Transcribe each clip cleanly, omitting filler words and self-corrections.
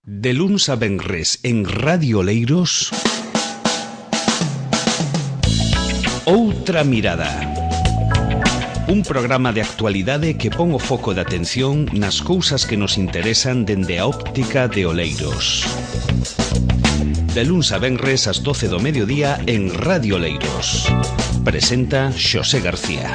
De luns a venres en Radio Oleiros, Outra Mirada. Un programa de actualidade que pon o foco de atención nas cousas que nos interesan dende a óptica de Oleiros. De luns a venres ás 12 do mediodía en Radio Oleiros. Presenta Xosé García.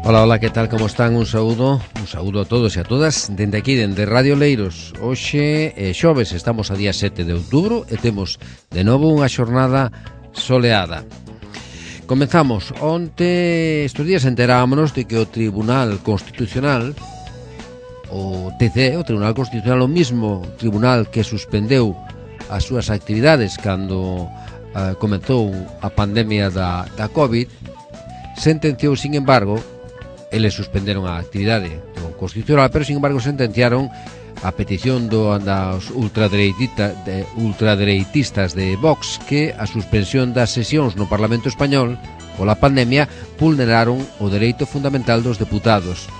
Hola, hola, que tal, como están? Un saúdo a todos e a todas dende aquí, dende Radio Oleiros. Hoxe é xoves, estamos a día 7 de outubro e temos de novo unha xornada soleada. Comenzamos. Onte, estes días enterámonos de que o Tribunal Constitucional, o TC, o Tribunal Constitucional, o mismo tribunal que suspendeu as súas actividades cando comezou a pandemia da COVID, sentenciou, sin embargo, eles suspenderon a actividade do Constitucional, pero sin embargo sentenciaron a petición dos ultradereitistas de Vox que a suspensión das sesións no Parlamento Español pola pandemia vulneraron o dereito fundamental dos deputados.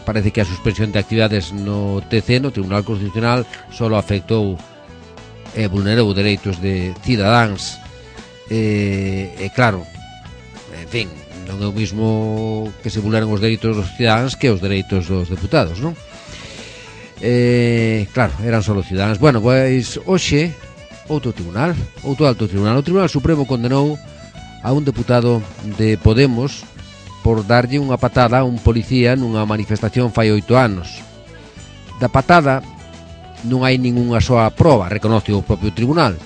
Parece que a suspensión de actividades no TC, no Tribunal Constitucional, solo afectou e vulnerou dereitos de cidadáns e claro, en fin, non é o mismo que se vulneran os dereitos dos cidadáns que os dereitos dos deputados, non? Claro, eran só cidadáns. Bueno, pois hoxe outro alto tribunal, o Tribunal Supremo condenou a un deputado de Podemos por darlle unha patada a un policía nunha manifestación fai 8 anos. Da patada non hai ningunha soa proba, reconoce o propio tribunal.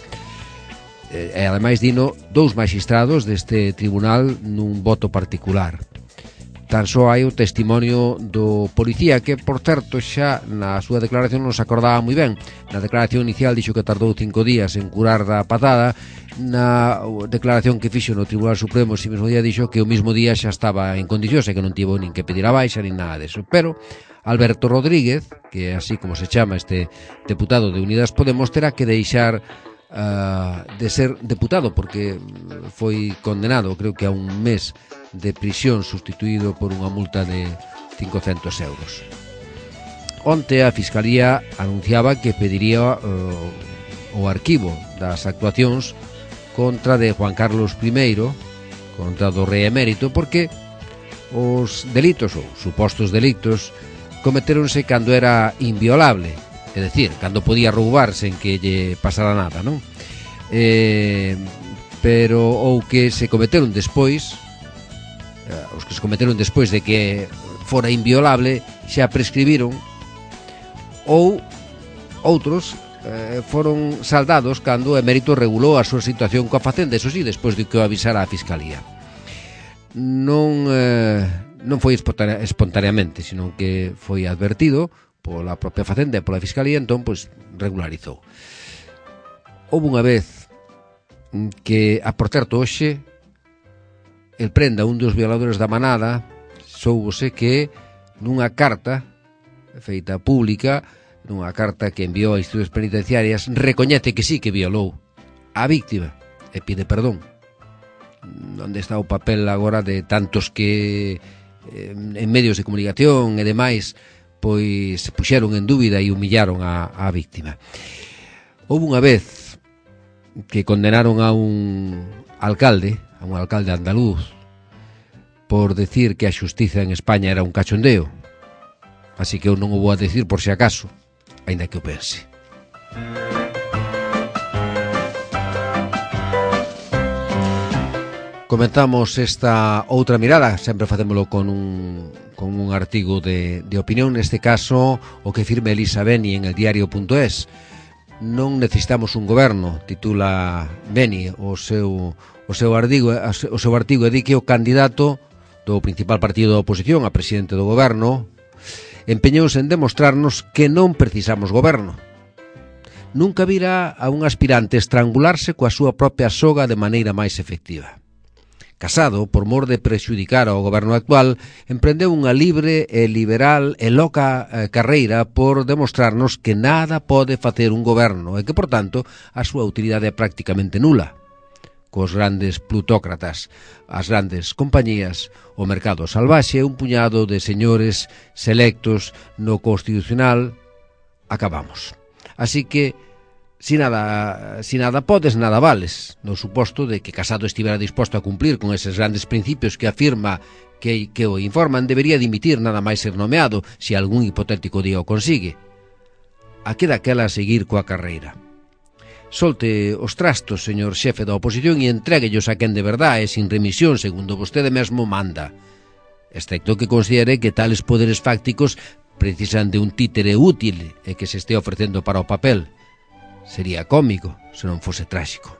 E ademais dino dous magistrados deste tribunal nun voto particular. Tan só hai o testimonio do policía que, por certo, xa na súa declaración non se acordaba moi ben. Na declaración inicial dixo que tardou 5 días en curar da patada. Na declaración que fixo no Tribunal Supremo ese mesmo día dixo que o mismo día xa estaba en condicións e que non tivo nin que pedir a baixa nin nada deso. Pero Alberto Rodríguez, que é así como se chama este deputado de Unidas Podemos, terá que deixar de ser deputado porque foi condenado, creo que a un mes de prisión, sustituído por unha multa de 500 euros. Onte a Fiscalía anunciaba que pediría o arquivo das actuacións contra de Juan Carlos I, contra do rei emérito, porque os delitos ou supostos delitos cometéronse cando era inviolable. É dicir, cando podía roubar sen que lle pasara nada, non? Pero ou que se cometeron despois, os que se cometeron despois de que fora inviolable xa prescribiron, ou outros foron saldados cando o emérito regulou a súa situación coa Facenda, eso sí, despois de que o avisara a Fiscalía. Non foi espontaneamente, sino que foi advertido pola propia Facenda e pola Fiscalía, entón, pois, regularizou. Houve unha vez que, por certo, hoxe, el prenda un dos violadores da manada, soubose que nunha carta feita pública, nunha carta que enviou a institucións penitenciarias, recoñece que sí que violou a víctima e pide perdón. Onde está o papel agora de tantos que en medios de comunicación e demais pois se puxeron en dúbida e humillaron a víctima. Houve unha vez que condenaron a un alcalde andaluz por decir que a xustiza en España era un cachondeo. Así que eu non o vou a decir por si acaso, aínda que o pense. Comenzamos esta outra mirada, sempre facémolo con un artigo de opinión, neste caso o que firme Elisa Beni en eldiario.es. Non necesitamos un goberno, titula Beni o seu artigo, e di que o candidato do principal partido da oposición a presidente do goberno empeñouse en demostrarnos que non precisamos goberno. Nunca virá a un aspirante estrangularse coa súa propia soga de maneira máis efectiva. Casado, por mor de prexudicar ao goberno actual, emprendeu unha libre e liberal e loca carreira por demostrarnos que nada pode facer un goberno e que, por tanto, a súa utilidade é prácticamente nula. cos grandes plutócratas, as grandes compañías, o mercado salvaxe, un puñado de señores selectos no Constitucional, acabamos. Así que, si nada podes, nada vales, no suposto de que Casado estivera disposto a cumplir con eses grandes principios que afirma que o informan, debería dimitir nada máis ser nomeado, se algún hipotético día o consigue. A que daquela a seguir coa carreira. Solte os trastos, señor xefe da oposición, e entréguellos a quen de verdade e sin remisión, segundo vostede mesmo manda. Excepto que considere que tales poderes fácticos precisan de un títere útil e que se este ofrecendo para o papel. Sería cómico, se non fose tráxico.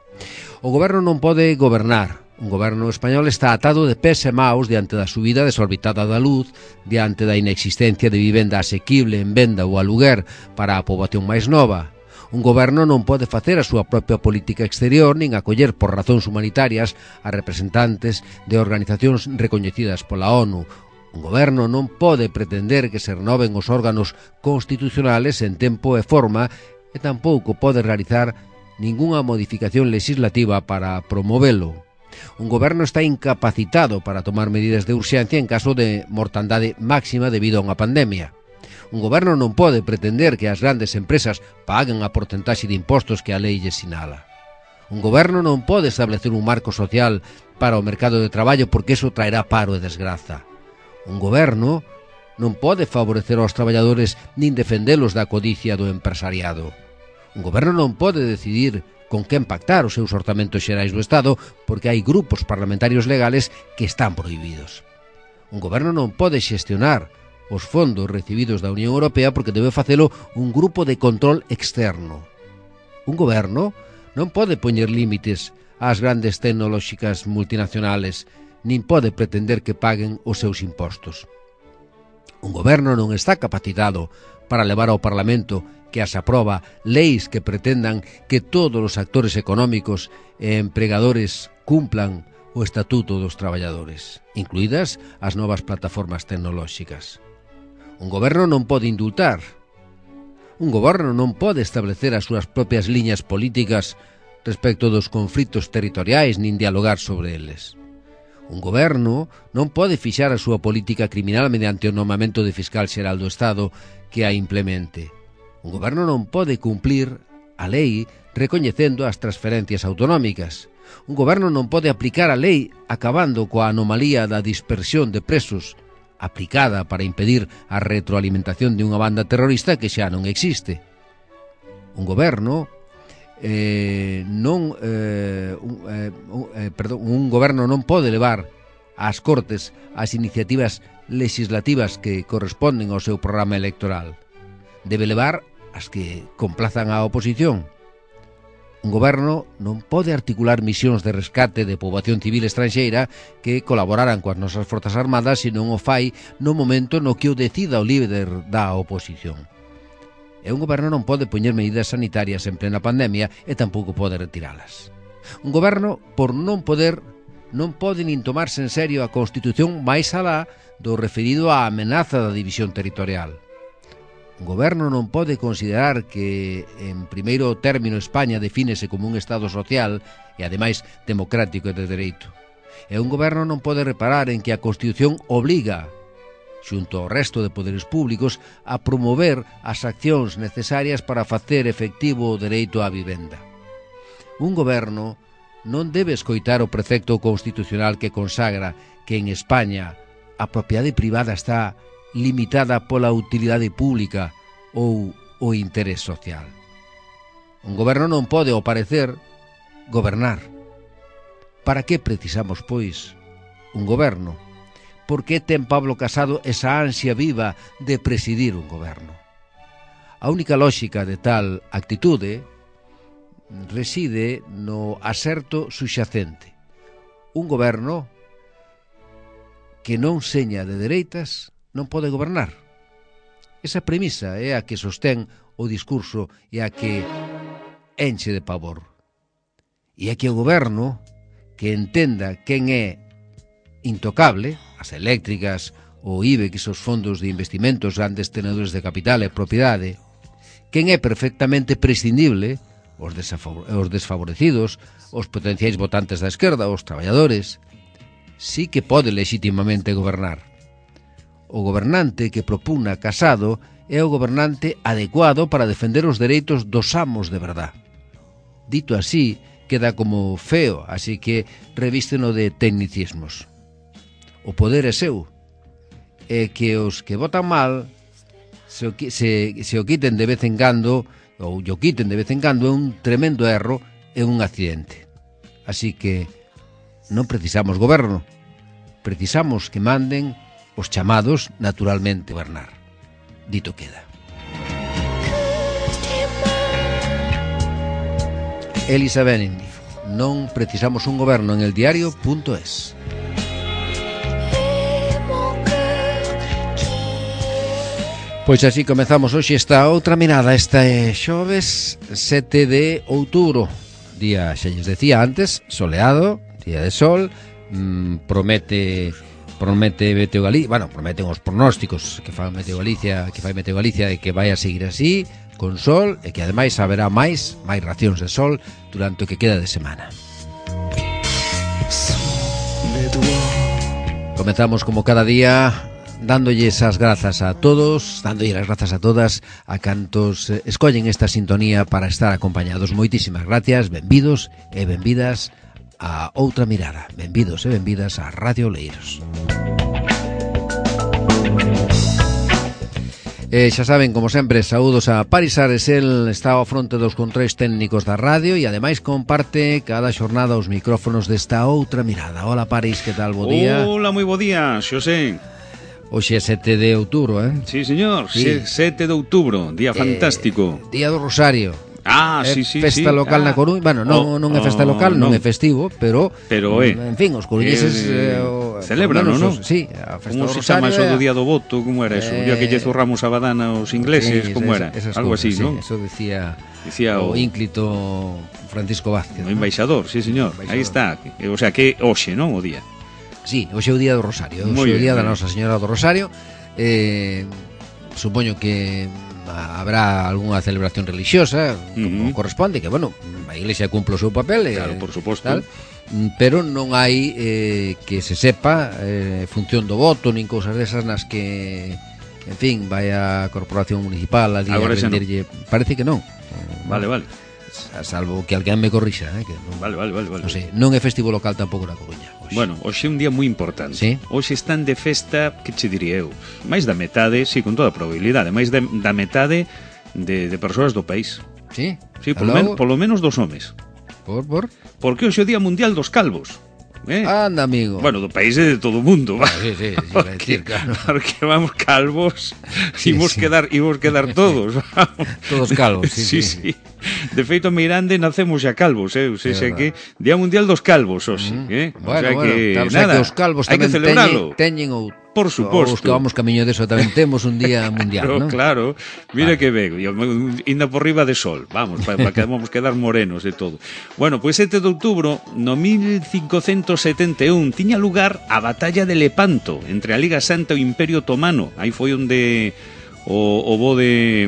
O goberno non pode gobernar. Un goberno español está atado de pés e maos diante da subida desorbitada da luz, diante da inexistencia de vivenda asequible en venda ou aluguer para a poboación máis nova. Un goberno non pode facer a súa propia política exterior nin acoller por razóns humanitarias a representantes de organizacións recoñecidas pola ONU. Un goberno non pode pretender que se renoven os órganos constitucionales en tempo e forma e tampouco pode realizar ningunha modificación legislativa para promovelo. Un goberno está incapacitado para tomar medidas de urxencia en caso de mortandade máxima debido a unha pandemia. Un goberno non pode pretender que as grandes empresas paguen a porcentaxe de impostos que a lei lle sinala. Un goberno non pode establecer un marco social para o mercado de traballo porque iso traerá paro e desgraza. Un goberno non pode favorecer aos traballadores nin defendelos da codicia do empresariado. Un goberno non pode decidir con quen pactar os seus orzamentos xerais do Estado porque hai grupos parlamentarios legales que están prohibidos. Un goberno non pode xestionar os fondos recibidos da Unión Europea porque debe facelo un grupo de control externo. Un goberno non pode poñer límites ás grandes tecnolóxicas multinacionales, nin pode pretender que paguen os seus impostos. Un goberno non está capacitado para levar ao Parlamento que as aproba leis que pretendan que todos os actores económicos e empregadores cumplan o Estatuto dos Traballadores, incluídas as novas plataformas tecnolóxicas. Un goberno non pode indultar. Un goberno non pode establecer as súas propias liñas políticas respecto dos conflitos territoriais nin dialogar sobre eles. Un goberno non pode fixar a súa política criminal mediante o nomamento de fiscal xeral do Estado que a implemente. Un goberno non pode cumplir a lei recoñecendo as transferencias autonómicas. Un goberno non pode aplicar a lei acabando coa anomalía da dispersión de presos aplicada para impedir a retroalimentación de unha banda terrorista que xa non existe. Un goberno un goberno non pode levar ás Cortes as iniciativas legislativas que corresponden ao seu programa electoral. Debe levar as que complazan á oposición. Un goberno non pode articular misións de rescate de poboación civil estranxeira que colaboraran coas nosas forzas armadas se non o fai no momento no que o decida o líder da oposición. E un goberno non pode poñer medidas sanitarias en plena pandemia e tampouco pode retiralas. Un goberno, por non poder, non pode nin tomarse en serio a Constitución máis alá do referido á amenaza da división territorial. Un goberno non pode considerar que, en primeiro término, España defínese como un Estado social e, ademais, democrático e de dereito. E un goberno non pode reparar en que a Constitución obliga, xunto ao resto de poderes públicos, a promover as accións necesarias para facer efectivo o dereito á vivenda. Un goberno non debe escoitar o precepto constitucional que consagra que en España a propiedade privada está limitada pola utilidade pública ou o interés social. Un goberno non pode, ao parecer, gobernar. Para que precisamos, pois, un goberno? Por que ten Pablo Casado esa ansia viva de presidir un goberno? A única lóxica de tal actitude reside no aserto suxacente. Un goberno que non seña de dereitas non pode gobernar. Esa premisa é a que sostén o discurso e a que enche de pavor. E é que o goberno que entenda quen é intocable, as eléctricas, o IBEX, os fondos de investimentos, grandes tenedores de capital e propiedade, quen é perfectamente prescindible, os desfavorecidos, os potenciais votantes da esquerda, os traballadores, sí que pode legitimamente gobernar. O gobernante que propugna Casado é o gobernante adecuado para defender os dereitos dos amos de verdad. Dito así, queda como feo, así que revísteno de tecnicismos. O poder é seu, e que os que votan mal se o quiten de vez en cando, ou o quiten de vez en cando, é un tremendo erro e un accidente. Así que non precisamos goberno, precisamos que manden os chamados naturalmente gobernar. Dito queda. Elisa Benning, non precisamos un goberno, en eldiario.es. Pois así comezamos hoxe esta outra mirada. Esta é xoves 7 de outubro, día, xa lles decía antes, soleado, día de sol. Promete Meteo Galicia, bueno, prometen os pronósticos que fai Meteo Galicia de que vai a seguir así, con sol, e que ademais haberá máis racións de sol durante o que queda de semana. Comezamos como cada día dándolles as grazas a todos, dándolles as grazas a todas a cantos escollen esta sintonía para estar acompañados. Moitísimas gracias, benvidos e benvidas a Outra Mirada. Benvidos e benvidas a Radio Oleiros. Xa saben, como sempre, saúdos a Paris Ares. El está ao fronte dos controis técnicos da radio e ademais comparte cada xornada os micrófonos desta Outra Mirada. Hola Paris, que tal? Bo día. Hola, moi bo día, Xosé. Hoxe é 7 de outubro, Sí, señor, sí. 7 de outubro, día fantástico. Día do Rosario. Sí. Festa local na Coruña. Bueno, non é festa local, non é festivo, pero en fin, os coruñeses celebran, non? Sí, a festa do Rosario. Como se chama eso do día do voto? Como era eso? O día que lle zurramos a badana aos ingleses, como era? Algo así, non? Eso decía o ínclito Francisco Vázquez. O embaixador, sí, señor. Aí está. O sea, que hoxe, non? O día. Sí, hoxe é o día do Rosario, hoxe é o día da Nosa Señora do Rosario. Supoño que habrá algunha celebración religiosa, como corresponde, que, bueno, a Iglesia cumple o seu papel, claro, por suposto, tal, pero non hai que se sepa función do voto, nin cousas desas nas que, en fin, vai a Corporación Municipal a rendirlle, no. Parece que non. Vale. Salvo que alguén me corrixa, que non, vale. Non sei, non é festivo local tampouco na Coruña. Bueno, hoxe é un día moi importante. ¿Sí? Hoxe están de festa, que che diría eu? Máis da metade, sí, con toda a probabilidade, máis da metade de persoas do país. Sí? Sí, polo menos dos homes. Por? Porque hoxe é o Día Mundial dos Calvos. Anda, amigo. Bueno, do país é de todo o mundo. Sí, porque, claro. Porque vamos calvos, imos quedar todos. Todos calvos, sí. De feito, Mirande nacemos xa calvos, o sea que Día Mundial dos Calvos, hoxe, Bueno, o sea que claro, nada, que os calvos tamén teñen ou por suposto. Os que vamos camiño deso tamén temos un día mundial, ¿no? Claro, mira que ben, inda por riba de sol, vamos, para que vamos quedar morenos e todo. Bueno, pois 7 de outubro, no 1571, tiña lugar a Batalla de Lepanto, entre a Liga Santa e o Imperio Otomano. Aí foi onde o bo de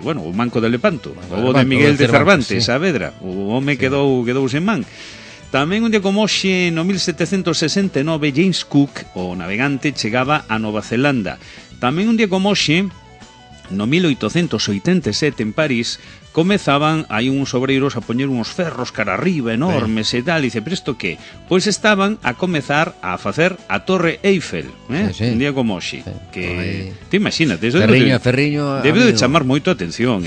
bueno, o manco de Lepanto, o bo de Miguel de Cervantes, Saavedra. O home quedou sen man. Tamén un día como hoxe, no 1769, James Cook, o navegante, chegaba a Nova Zelanda. Tamén un día como hoxe, no 1887, en París, comezaban aí uns obreiros a poñer uns ferros cara arriba enormes e tal, e dice, pero isto que? Pois estaban a comezar a facer a Torre Eiffel, un día como hoxe, que te imagínate, eso Ferriño debe de chamar moito a atención,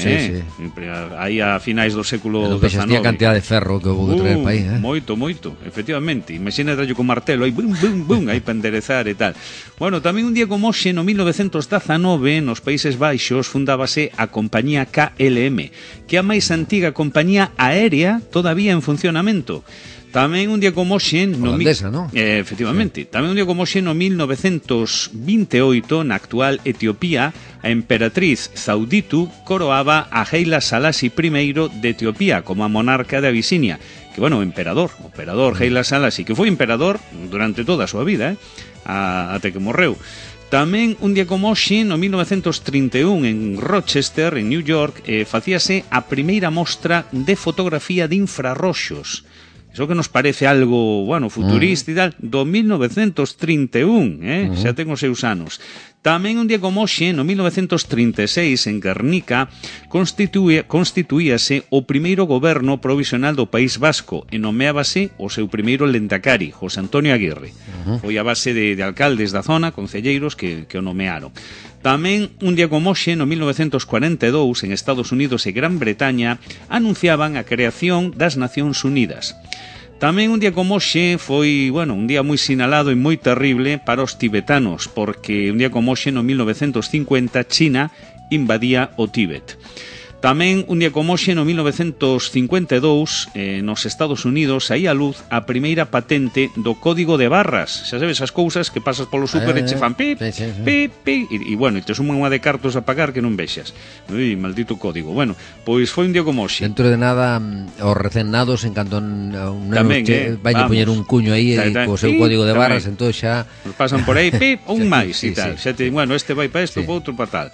aí a finais do século XIX. A cantidad de ferro que houve que traer para aí, moito, efectivamente, imagínate con martelo aí, bum, aí para enderezar e tal. Bueno, tamén un día como hoxe, no 1919, nos Países Baixos, fundábase a compañía KLM, que é a máis antiga compañía aérea todavía en funcionamento. Tamén un día como hoxe, holandesa, ¿no? Efectivamente, tamén un día como hoxe, no 1928, na actual Etiopía, a emperatriz Zauditu coroaba a Haile Selassie I de Etiopía como a monarca de Abisinia, que, bueno, o emperador Haile Selassie, que foi emperador durante toda a súa vida, até que morreu. Tamén un día como hoxe, no 1931, en Rochester, en New York, facíase a primeira mostra de fotografía de infrarroxos. Iso que nos parece algo, bueno, futurista e tal, do 1931, xa ten os seus anos. Tamén un día como hoxe, no 1936, en Guernica, constituíase o primeiro goberno provisional do País Vasco e nomeábase o seu primeiro lendakari, José Antonio Aguirre. Foi a base de alcaldes da zona, concelleiros, que o nomearon. Tamén, un día como hoxe, no 1942, en Estados Unidos e Gran Bretaña, anunciaban a creación das Nacións Unidas. Tamén un día como hoxe foi, bueno, un día moi sinalado e moi terrible para os tibetanos, porque un día como hoxe, no 1950, China invadía o Tíbet. Tamén, un día como hoxe, no 1952, nos Estados Unidos, saía a luz a primeira patente do código de barras. Xa sabes, as cousas que pasas polo súper e che fan pip, pip, pip, e bueno, te suman unha de cartos a pagar que non vexas. Ui, maldito código. Bueno, pois foi un día como hoxe. Dentro de nada, os recén nados, en canto un neno vai a poñer un cuño aí co seu código de barras, entón xa... Nos pasan por aí, pip, un máis e tal. Bueno, este vai para isto, para outro para tal.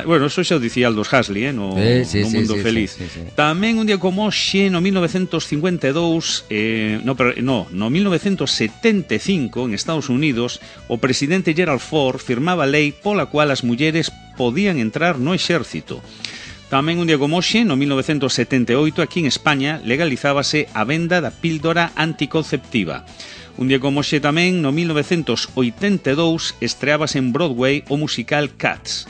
Bueno, eso xa o dicía Aldous Huxley, no Mundo Feliz. Tamén un día como hoxe, no 1952, no 1975, en Estados Unidos, o presidente Gerald Ford firmaba a lei pola cual as mulleres podían entrar no exército. Tamén un día como hoxe, no 1978, aquí en España, legalizábase a venda da píldora anticonceptiva. Un día como hoxe tamén, no 1982, estreábase en Broadway o musical Cats,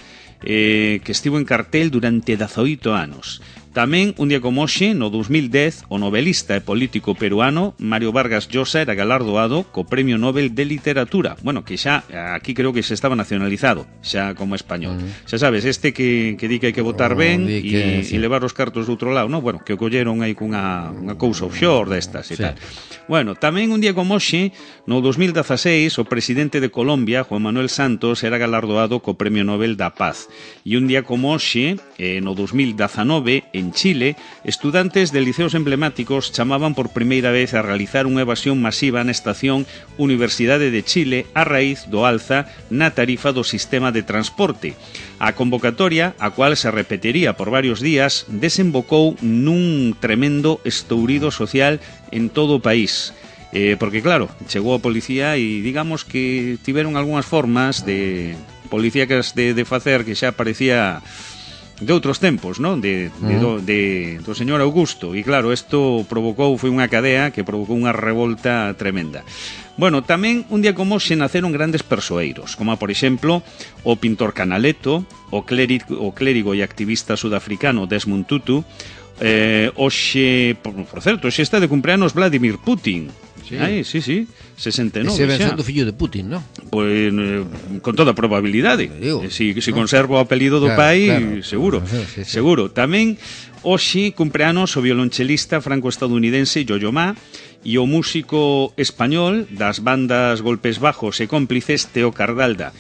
que estivo en cartel durante 18 anos. Tamén, un día como hoxe, no 2010, o novelista e político peruano Mario Vargas Llosa era galardoado co Premio Nobel de Literatura. Bueno, que xa, aquí creo que xa estaba nacionalizado, xa como español. Xa sabes, este que di que hai que votar ben e levar os cartos do outro lado, no? Bueno, que o colleron aí cunha cousa offshore destas e tal. Bueno, tamén un día como hoxe, no 2016, o presidente de Colombia, Juan Manuel Santos, era galardoado co Premio Nobel da Paz. E un día como hoxe, no 2019, en Chile, estudantes de liceos emblemáticos chamaban por primeira vez a realizar unha evasión masiva na estación Universidade de Chile a raíz do alza na tarifa do sistema de transporte. A convocatoria, a cual se repetiría por varios días, desembocou nun tremendo estourido social en todo o país. Porque claro, chegou a policía e digamos que tiveron algunhas formas de policíacas de facer que xa parecía de outros tempos, non? Do señor Augusto. E claro, isto provocou, foi unha cadea que provocou unha revolta tremenda. Bueno, tamén un día como hoxe naceron grandes persoeiros, como por exemplo o pintor Canaletto, o clérigo e activista sudafricano Desmond Tutu. Hoxe, por certo, hoxe está de cumpleanos Vladimir Putin. Sí, 69 ese ben sendo fillo de Putin, non? Pois con toda probabilidade. Si conserva o apelido do pai, seguro. Seguro. Tamén hoxe cumpleanos o violonchelista franco-estadounidense Yo-Yo Ma e o músico español das bandas Golpes Bajos e Cómplices Teo Cardalda.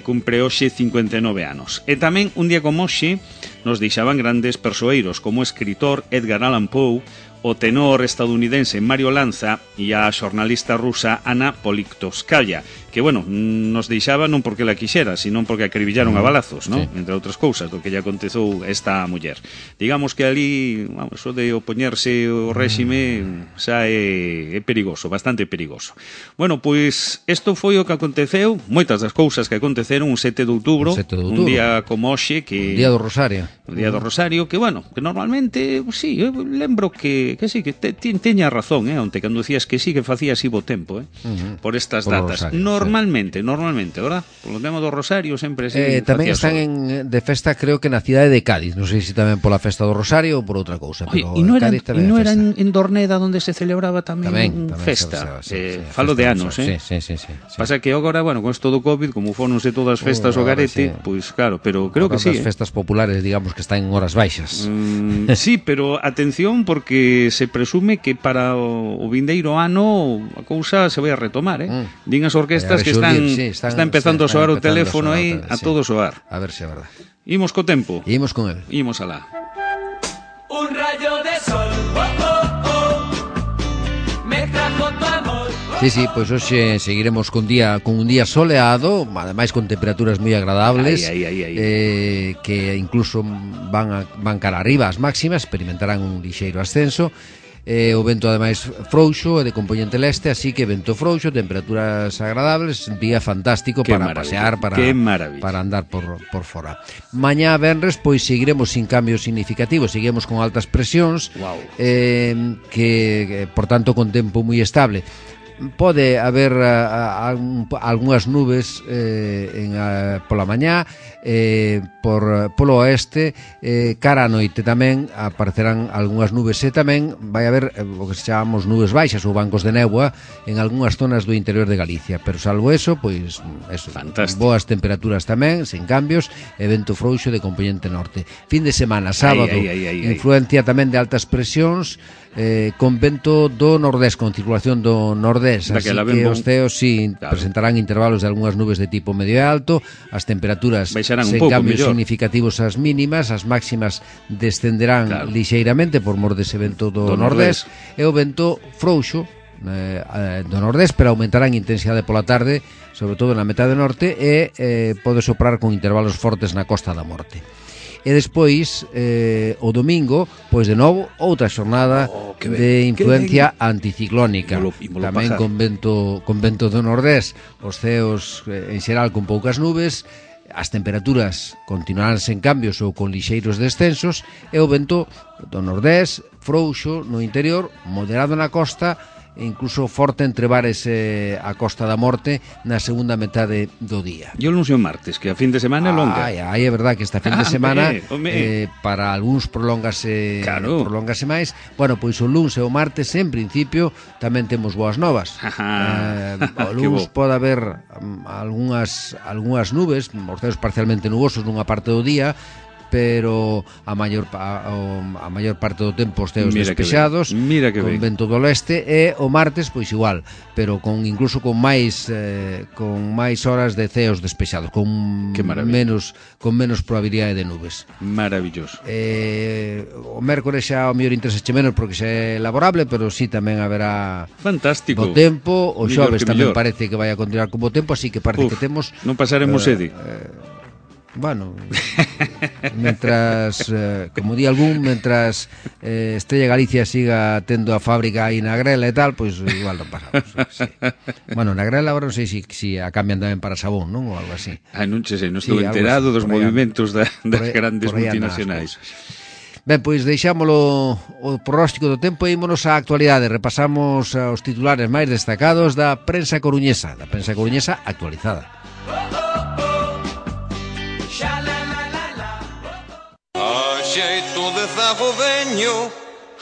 Cumpre hoxe 59 anos. E tamén un día como hoxe nos deixaban grandes persoeiros como o escritor Edgar Allan Poe, o tenor estadounidense Mario Lanza e a xornalista rusa Ana Politkovskaya, que, bueno, nos deixaba non porque la quixera, sino porque acribillaron a balazos, ¿no? Entre outras cousas, do que lle aconteceu a esta muller. Digamos que ali, vamos, o de opoñerse o réxime xa é perigoso, bastante perigoso. Bueno, pois, isto foi o que aconteceu, moitas das cousas que aconteceron un 7 de outubro, un día como hoxe, que... Un día do Rosario. Un día do Rosario, que, bueno, que normalmente, sí, eu lembro que sí, que teña razón, onte, cando decías que sí, que facía así bo tempo, por estas datas. Normalmente, ¿verdad? Por lo tema do Rosario sempre sí. Tamén están de festa, creo que na cidade de Cádiz, non sei se tamén pola festa do Rosario ou por outra cousa, pero Cádiz tamén é festa. E non era en Dorneda onde se celebraba tamén festa? Falo de anos, Sí. Pasa que agora, bueno, con isto do COVID, como fononse todas as festas o garete, pois claro, pero creo que sí. As festas populares, digamos que están en horas baixas. Sí, pero atención, porque se presume que para o vindeiro ano a cousa se vai a retomar, Din as orquestas que están empezando a soar o teléfono aí a todo soar. A ver se é verdade. Imos co tempo. Imos con el. Imos alá. Un rayo de sol, me trajo tu amor. Sí, pois hoxe seguiremos con un día soleado, ademais con temperaturas moi agradables, que incluso van cara arriba as máximas, experimentarán un lixeiro ascenso. O vento ademais frouxo e de componente leste, así que vento frouxo, temperaturas agradables, día fantástico para pasear, para andar por fora. Mañá venres pois seguiremos sin cambios significativos, seguiremos con altas presións, que por tanto con tempo moi estable. Pode haber algunhas nubes pola mañá, polo oeste, cara a noite tamén aparecerán algunhas nubes e tamén vai haber o que se chamamos nubes baixas ou bancos de néboa en algunhas zonas do interior de Galicia, pero salvo eso, pois eso, boas temperaturas tamén, sen cambios, e vento frouxo de componente norte. Fin de semana, sábado, influencia tamén de altas presións, con vento do nordés, con circulación do nordés, así que os ceos presentarán intervalos de algunhas nubes de tipo medio e alto, as temperaturas sen cambios significativos as mínimas, as máximas descenderán lixeiramente por mor dese vento do nordés, e o vento frouxo do nordés, pero aumentará en intensidade pola tarde, sobre todo na metade norte, e pode soprar con intervalos fortes na Costa da Morte. E despois, o domingo, pois de novo, outra xornada de influencia anticiclónica, tamén con vento do nordés, os ceos en xeral con poucas nubes, as temperaturas continuarán sen cambios ou con lixeiros descensos, e o vento do nordés frouxo no interior, moderado na costa, e incluso forte entre bares a Costa da Morte na segunda metade do día. E o luns e o martes, que a fin de semana é longa. É verdad que esta fin de semana para algúns prolóngase máis. Bueno, pois o luns e o martes en principio tamén temos boas novas. O luns pode haber algunhas nubes, os ceos parcialmente nubosos nunha parte do día, pero a maior parte do tempo os ceos despexados, con vento do leste, e o martes pois igual, pero incluso con máis horas de ceos despexados, con menos probabilidade de nubes. Maravilloso. O mércores xa o mellor interese menos porque xa é laborable, pero sí tamén haberá fantástico bo tempo. O xoves tamén parece que vai a continuar con bo tempo, así que parece que temos non pasaremos sede. Bueno, mentras, como di algún, mentras Estrella Galicia siga tendo a fábrica aí na Grela e tal, pois igual non pasamos. Sí. Bueno, na Grela agora non sei se a cambian tamén para sabón, non? Ou algo así. Non sei, non estou enterado dos movimentos das grandes multinacionais. Ben, pois deixámolo o pronóstico do tempo e ímonos á actualidade. Repasamos os titulares máis destacados da prensa coruñesa actualizada. Xeito de zago veño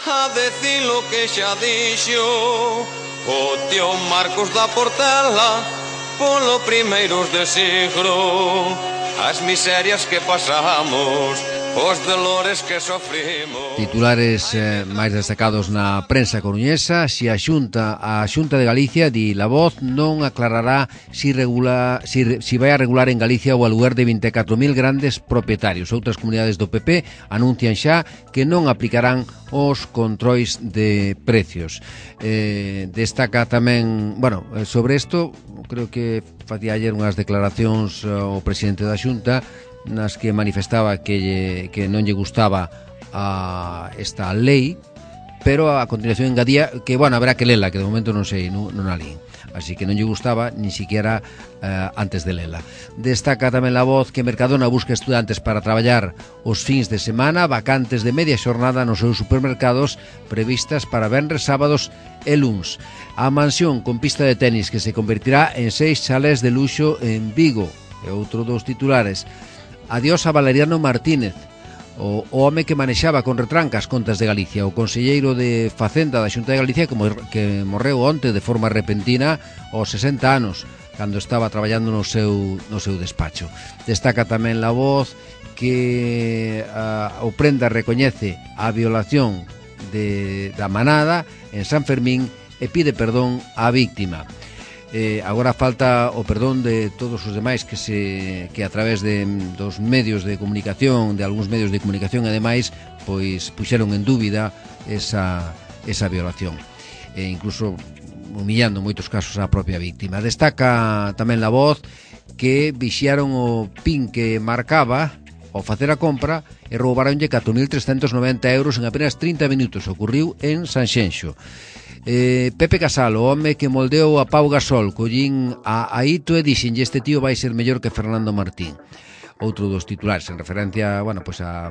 a decir lo que xa dixo o tío Marcos da Portela polo primeiros de siglo, as miserias que pasamos, os dolores que sofrimos. Titulares máis destacados na prensa coruñesa. A Xunta de Galicia, di La Voz, non aclarará si vai a regular en Galicia o aluguer de 24.000 grandes propietarios. Outras comunidades do PP anuncian xa que non aplicarán os controis de precios. Destaca tamén, sobre isto, creo que facía ayer unhas declaracións o presidente da Xunta nas que manifestaba que non lle gustaba esta lei, pero a continuación engadía que, haberá que lela, que de momento non sei, non a lín. Así que non lle gustaba ni siquiera antes de lela. Destaca tamén La Voz que Mercadona busca estudantes para traballar os fins de semana, vacantes de media xornada nos seus supermercados previstas para venres, sábados e luns. A mansión con pista de tenis que se convertirá en 6 chalés de luxo en Vigo. E outro dos titulares. Adiós a Valeriano Martínez, o home que manexaba con retranca as contas de Galicia, o conselleiro de Facenda da Xunta de Galicia que morreu onte de forma repentina aos 60 anos, cando estaba traballando no seu despacho. Destaca tamén La Voz que o Prenda recoñece a violación da manada en San Fermín e pide perdón á víctima. Agora falta o perdón de todos os demais que a través dos medios de comunicación, de algúns medios de comunicación e demais, pois puxeron en dúbida esa violación. Incluso humillando en moitos casos a propia víctima. Destaca tamén La Voz que vixiaron o PIN que marcaba ao facer a compra e roubaronlle 4.390 euros en apenas 30 minutos. Ocorriu en Sanxenxo. Pepe Casal, o home que moldeou a Pau Gasol, collín a Aito e dixenlle: este tío vai ser mellor que Fernando Martín. Outro dos titulares en referencia, bueno, pues a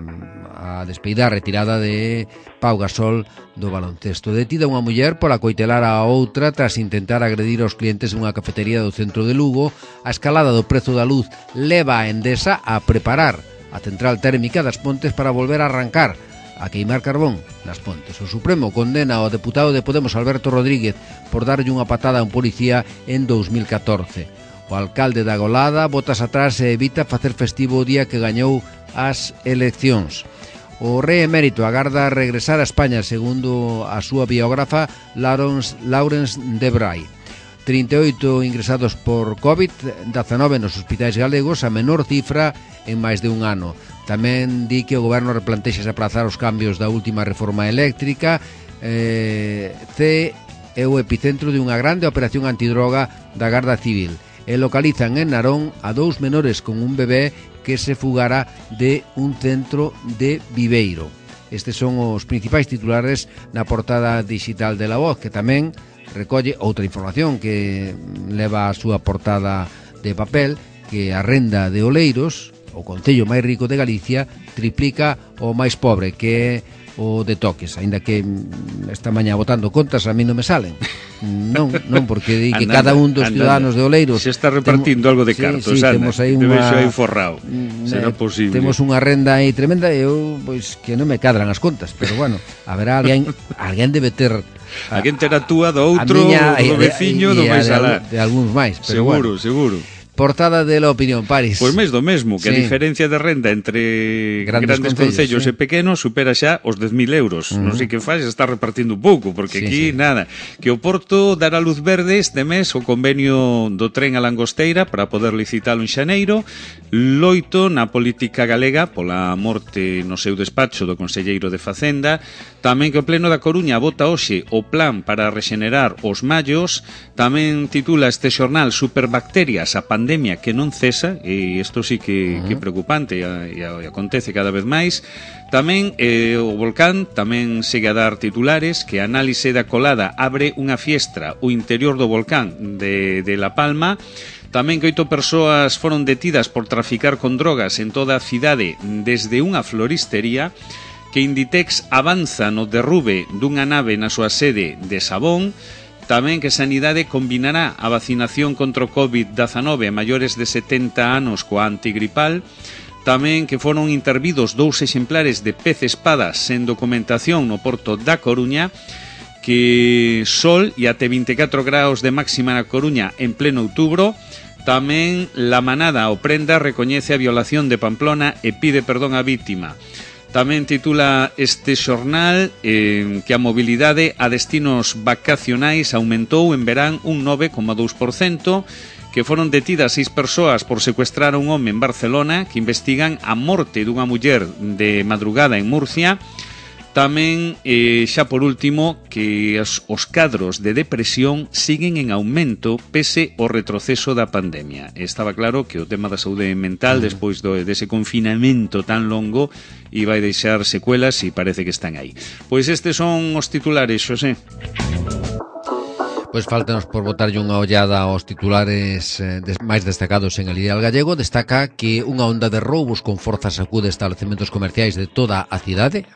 despedida retirada de Pau Gasol do baloncesto. Detida unha muller pola coitelar a outra tras intentar agredir aos clientes dunha cafetería do centro de Lugo. A escalada do prezo da luz leva a Endesa a preparar a central térmica das Pontes para volver a arrancar a queimar carbón nas Pontes. O Supremo condena ao deputado de Podemos Alberto Rodríguez por darlle unha patada a un policía en 2014. O alcalde da Golada botas atrás e evita facer festivo o día que gañou as eleccións. O rei emérito agarda regresar a España, segundo a súa biógrafa Laurence Debray. 38 ingresados por COVID-19 nos hospitais galegos, a menor cifra en máis de un ano. Tamén di que o goberno replantexa aplazar os cambios da última reforma eléctrica. É o epicentro de unha grande operación antidroga da Garda Civil. E localizan en Narón a 2 menores con un bebé que se fugara de un centro de Viveiro. Estes son os principais titulares na portada digital de La Voz, que tamén recolle outra información que leva a súa portada de papel, que a renda de Oleiros, o concello máis rico de Galicia, triplica o máis pobre, que é o de Toques, aínda que esta mañá botando contas a mí non me salen. Non, porque di que cada un dos ciudadanos de Oleiros se está repartindo algo de cartos, temos aí unha forrao. Será posible. Temos unha renda aí tremenda e eu pois que non me cadran as contas, pero bueno, haberá alguén debe ter alguén terá túa do outro, do veciño, do máis alá. De algúns máis, pero seguro. Portada de La Opinión, Paris. Pois máis do mesmo, que a diferencia de renda entre grandes concellos e pequenos supera xa os 10.000 euros. Non sei que faz, está repartindo un pouco, porque aquí nada. Que o Porto dará luz verde este mes o convenio do tren a Langosteira para poder licitalo en xaneiro. Loito na política galega pola morte no seu despacho do conselleiro de Facenda. Tamén que o Pleno da Coruña vota hoxe o plan para rexenerar os mallos. Tamén titula este xornal Superbacterias, a pandemia que non cesa, e isto sí que é preocupante e acontece cada vez máis. Tamén o volcán tamén segue a dar titulares, que a análise da colada abre unha fiestra o interior do volcán de La Palma. Tamén que 8 persoas foron detidas por traficar con drogas en toda a cidade desde unha floristería. Que Inditex avanza no derrube dunha nave na súa sede de Sabón. Tamén que Sanidade combinará a vacinación contra o COVID-19 a maiores de 70 anos coa antigripal. Tamén que foron intervidos 2 exemplares de pez espada sen documentación no porto da Coruña. Que sol e até 24 graus de máxima na Coruña en pleno outubro. Tamén La Manada, o Prenda, recoñece a violación de Pamplona e pide perdón á vítima. Tamén titula este xornal que a mobilidade a destinos vacacionais aumentou en verán un 9,2%, que foron detidas 6 persoas por secuestrar a un home en Barcelona, que investigan a morte dunha muller de madrugada en Murcia. Tamén, xa por último, que os cadros de depresión siguen en aumento pese ao retroceso da pandemia. Estaba claro que o tema da saúde mental, despois dese confinamento tan longo, iba a deixar secuelas e parece que están aí. Pois estes son os titulares, Xosé. Pois faltanos por botarlle unha ollada aos titulares máis destacados en El Ideal Gallego. Destaca que unha onda de roubos con forza sacude establecementos comerciais de toda a cidade,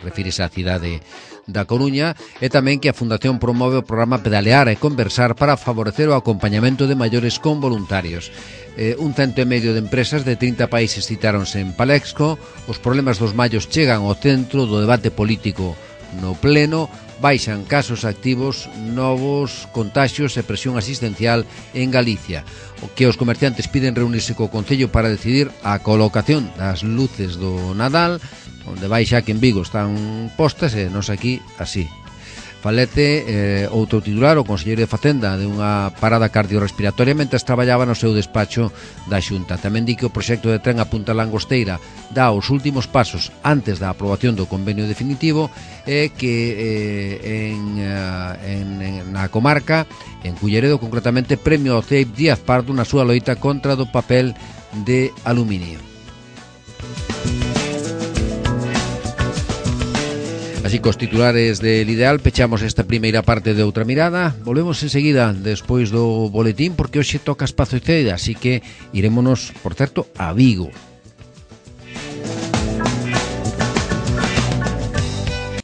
refírese á cidade da Coruña, e tamén que a Fundación promove o programa Pedalear e Conversar para favorecer o acompañamento de maiores con voluntarios. 150 de empresas de 30 países citáronse en Palexco. Os problemas dos mallos chegan ao centro do debate político no pleno. Baixan casos activos, novos contaxios e presión asistencial en Galicia. O que os comerciantes piden reunirse co Concello para decidir a colocación das luces do Nadal, onde vai xa que en Vigo están postas e nos aquí así. Falete outro titular, o conselleiro de Facenda, de unha parada cardiorrespiratoria mentre traballaba no seu despacho da Xunta. Tamén di que o proxecto de tren a Punta Langosteira dá os últimos pasos antes da aprobación do convenio definitivo e que na comarca, en Culleredo concretamente, premio ao CEIP Díaz Pardo na súa loita contra do papel de aluminio. Así cos titulares del Ideal pechamos esta primeira parte de Outra Mirada. Volvemos enseguida despois do boletín porque hoxe toca Espazo Ceda, así que irémonos, por certo, a Vigo.